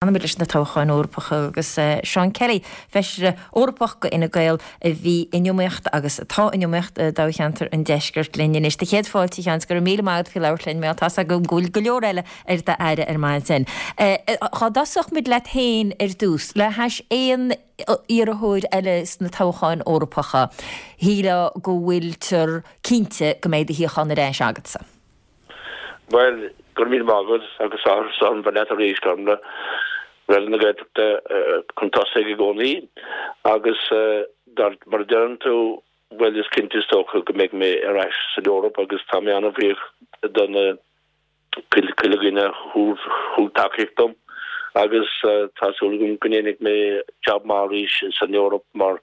Fanfaimid leis na toghcháin Eorpacha agus Seán Kelly, Feisire Eorpach do Fhine Gael a bhí in iomaíocht agus atá in iomaíocht i dtoghcheantar an Deiscirt linn anois. Do chéad fáilte a Sheáin, go raibh míle maith agat faoi labhairt linn, mar tá's agam go bhfuil go leor eile ar d'aire ar maidin. Dhá dtosódh muid leat féin ar dtús, le hais aon iarrthóir eile sna toghcháin Eorpacha, shílfeá go bhfuiltear cinnte go mbeidh do shuíochán ar ais agatsa. Bhuel, go raibh míle maith agat agus áthas orm bheith leat arís, Gormlaith. Raidió na Gaeltachta chun tosaigh i gcónaí agus mar a deireann tú, bhuel is cinnte is dócha go mbeidh mé ar ais san Eoraip agus tá mé an-bhuíoch do na chuile dhuine a thug tacaíocht dom agus tá súil agam go ndéanfaidh mé jab maith arís san Eoraip mar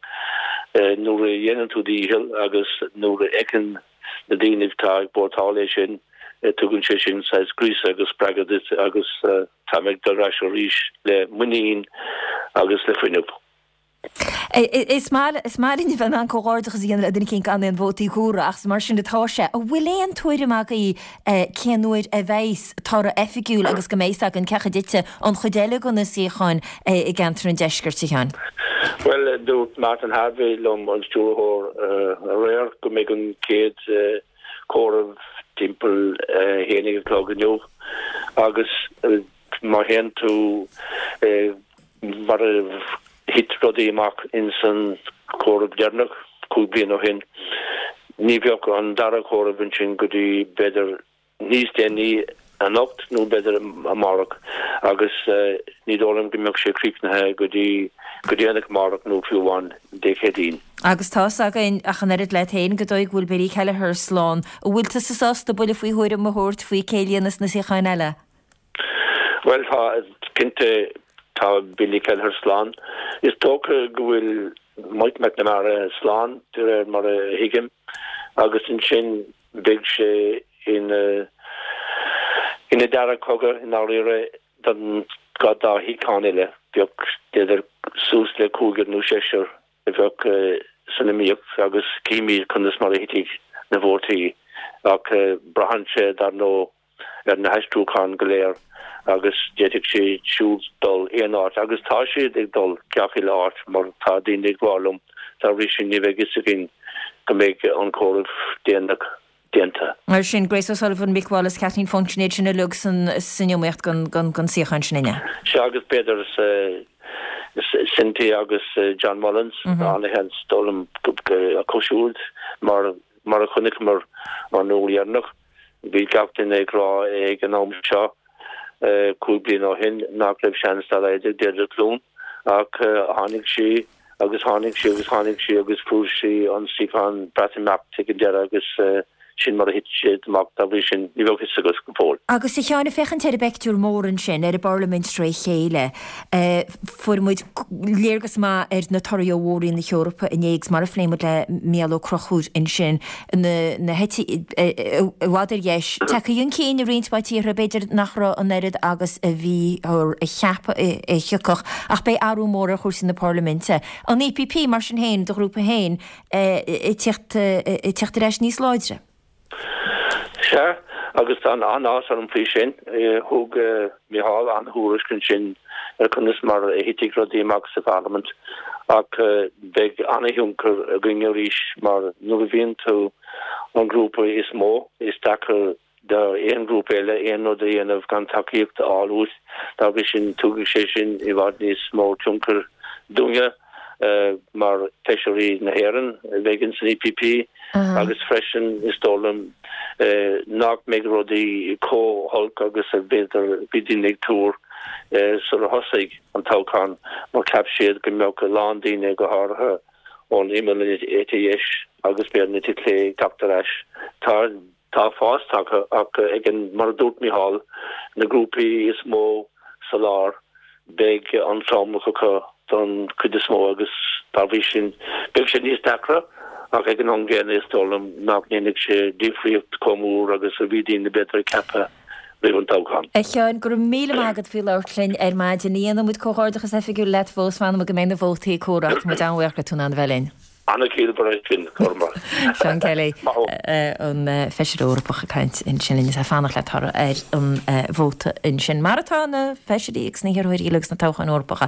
nuair a dhéanann tú do dhícheall agus nuair a fheiceann na daoine atá ag vótáil é sin, tugann sé sin saghas gríosadh agus spreagadh duit agus tá mé ag dul ar ais arís le muinín agus le fuinneamh. Is maith is maith linn a bheith in ann comhghairdeachas a dhéanamh le duine eicínt gan aon vótaí comhairthe ach mar sin atá sé. An bhfuil aon tuairim agaibh cén uair a bheidhs toradh oifigiúil agus go mbeidh 's againn cé acu a thitfidh an chuid eile de na suíocháin i gceantar an Deiscirt, a Sheáin? Bhuel, dúirt Martin Harvey liom, an stiúrthóir, aréir go mbeidh an chéad chomhaireamh timpeall a haon a chlog inniu agus má théann tú mar a thit rudaí amach ins an chomhaireamh deireanach cúig bliana ó shin, ní bheadh an dara comhaireamh ansin go dtí b'fhéidir níos déanaí anocht nó b'fhéidir amárach agus ní dóigh liom go mbeadh sé críochnaithe go dtí go déanach amárach nó fiú amháin Dé Céadaoin. Agus tá's againn, ach an oiread leat féin, go dóigh go bhfuil Billy Kelleher slán. An bhfuil tusa sásta buille faoi thuairim a thabhairt faoi cé a líonfas na suíocháin eile? Bhuel, tá, cinnte, tá Billy Kelleher slán. Is dócha go bhfuil Mike McNamara slán, de réir mar a thuigim, agus ansin Beidh sé ina ina dara cogadh i ndáiríre don dá shuíochán eile. Bheadh b'fhéidir suas le cúigear nó seisear a bheadh san iomaíocht agus címid conas mar a thitfidh na vótaí ach braitheann sé dar ndóigh ar na haistriúcháin go léir agus d'fhéadfadh siad siúd dul aon áit agus tá siad ag dul gach uile áit mar tá daoine ag rá liom dá bhrí sin ní bheidh fhios againn go mbeidh an comhaireamh déanach déanta. Mar sin, Grace O'Sullivan, Mick Wallace, Kathleen Funchion, iad sin uilig san iomaíocht don suíochán sin inniu. Sea agus b'fhéidir Cynthia agus John Mullins, an-sheans dóigh liom acu siúd mar mar a chonaiceamar an uair dheireanach. Bhí gach duine ag rá ag an am seo, 5 bliana ó shin, nach raibh seans dá laghad ag Deirdre Clune ach tháinig sí agus tháinig sí agus tháinig sí agus fuair sí an suíochán Breatimeacht ag an deireadh agus sin mar a thit siad amach dá bhrí sin ní bheadh fhios agat go fóill. Agus a Sheáin, ag féachaint ar an bpeictiúr mór ansin, ar an bParlaimint tré chéile, Fuair muid léargas maith ar na torthaí ó Mhór-Roinn na hEorpa inné agus mar a phléigh muid le Mícheál Ó Conchúir ansin, na heití i bhfad ar dheis, tagtha chun cinn i roinnt mhaith tíortha, b'fhéidir nach raibh an oiread agus a bhíothar a cheapadh a thiocfadh, ach beidh athrú mór ar chúrsaí na Parlaiminte. An EPP, mar sin féin, do ghrúpa féin, ag tíocht ar ais níos láidre. Sea, agus tá an-áthas orm faoi sin. Thug Micheál an-thuairisc ansin ar conas mar a thitfidh rudaí amach sa Pharlaimint ach beidh an-thionchar againn arís mar nuair a bhíonn tú an grúpa is mó, is deacair d'aon ghrúpa eile aon rud a dhéanamh gan tacaíocht a fháil uait. Dá bhrí sin, tugann sé sin i bhfad níos mó tionchair dúinne. mar feisirí na hÉireann a bheidh ins an EPP agus freisin is dóigh liom nach mbeidh rudaí chomh holc agus a b'fhéidir bhí daoine ag tuar sular thosaigh an toghchán mar cheap siad go mbeadh a lán daoine go háirithe ón imeall eite dheis agus b'fhéidir an eite chlé ag teacht ar ais. Tá Tá fás tagtha ach ag an, mar a dúirt Micheál, na grúpaí is mó sa lár, beidh an tromlach acu don chuid is mó agus dá bhrí sin beidh sé níos deacra ach ag an am gcéanna is dóigh liom nach ndéanfaidh sé difríocht chomh mór agus a bhí daoine b'fhéidir ag ceapadh roimh an toghchán. A Sheáin, go raibh míle maith agat faoi labhairt linn ar maidin. Ní dhéanfaidh muid comhghairdeachas oifigiúil leat fós, fanfaidh muid go mbeidh na vótaí comhairthe ach tá muid an-bhuíoch go raibh tú in ann a bheith linn. An-chiallmhar é sin, Cormac. Seán Kelly, an Feisire Eorpach ag caint ansin linn is ag fanacht le toradh ar an vóta ansin. Mar atá na Feisirí agus na hiarrthóirí eile agus na toghcháin Eorpacha.